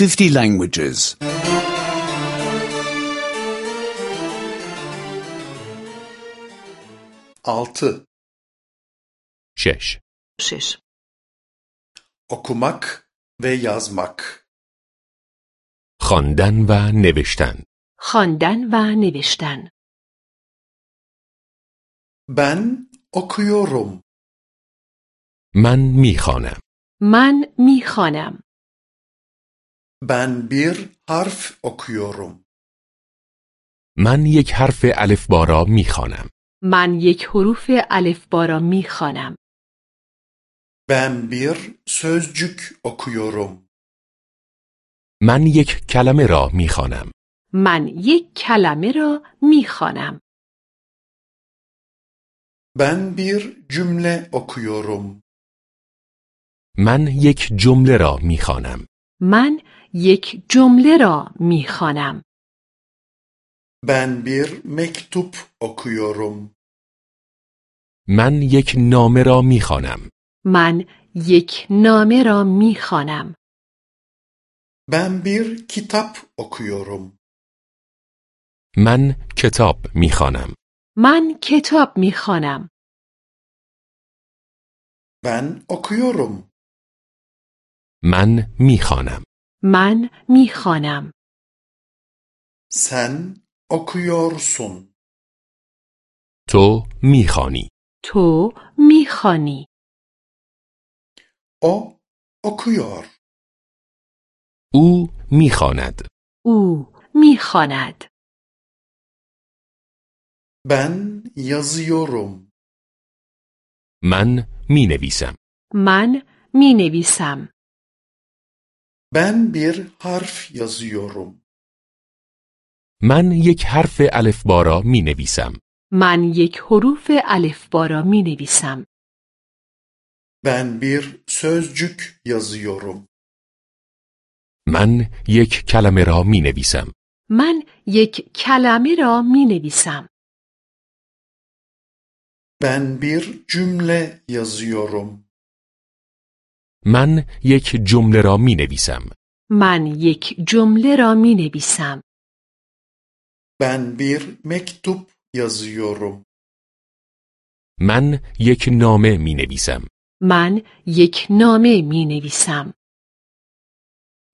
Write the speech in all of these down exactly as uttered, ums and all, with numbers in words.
fifty languages. altı. شش. شش. Okumak ve yazmak. خواندن و نوشتن. خواندن و نوشتن. Ben okuyorum. من میخوانم. من میخوانم. Ben bir harf okuyorum. من یک حرف الفبا را میخوانم. من یک حروف الفبا را میخوانم. Ben bir sözcük okuyorum. من یک کلمه را میخوانم. من یک کلمه را میخوانم. Ben bir cümle okuyorum. من یک جمله را میخوانم. من یک جمله را میخوانم. Ben bir mektup okuyorum. من یک نامه را میخوانم. من یک نامه را میخوانم. Ben bir kitap okuyorum. من کتاب میخوانم. من کتاب میخوانم. Ben okuyorum. من میخوانم. من میخوانم. Sen okuyorsun. تو میخوانی. تو میخوانی. O okuyor. او میخواند. او میخواند. Ben yazıyorum. من مینویسم. من مینویسم. Ben bir harf yazıyorum. من یک حرف الفبا را مینویسم. من یک حروف الفبا را مینویسم. Ben bir sözcük yazıyorum. من یک کلمه را مینویسم. من یک کلمه را مینویسم. Ben bir cümle yazıyorum. من یک جمله را مینویسم. من یک جمله را مینویسم. Ben bir mektup yazıyorum. من یک نامه مینویسم. من یک نامه مینویسم.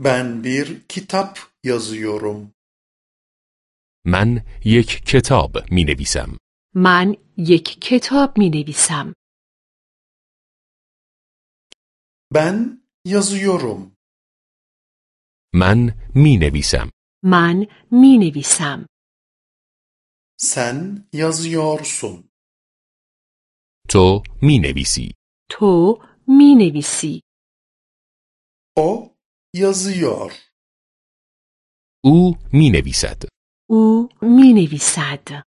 Ben bir kitap yazıyorum. من یک کتاب مینویسم. من یک کتاب مینویسم. Ben yazıyorum. من مینویسم. من مینویسم. Sen yazıyorsun. تو مینویسی. تو مینویسی. O yazıyor. او مینویسد. او مینویسد.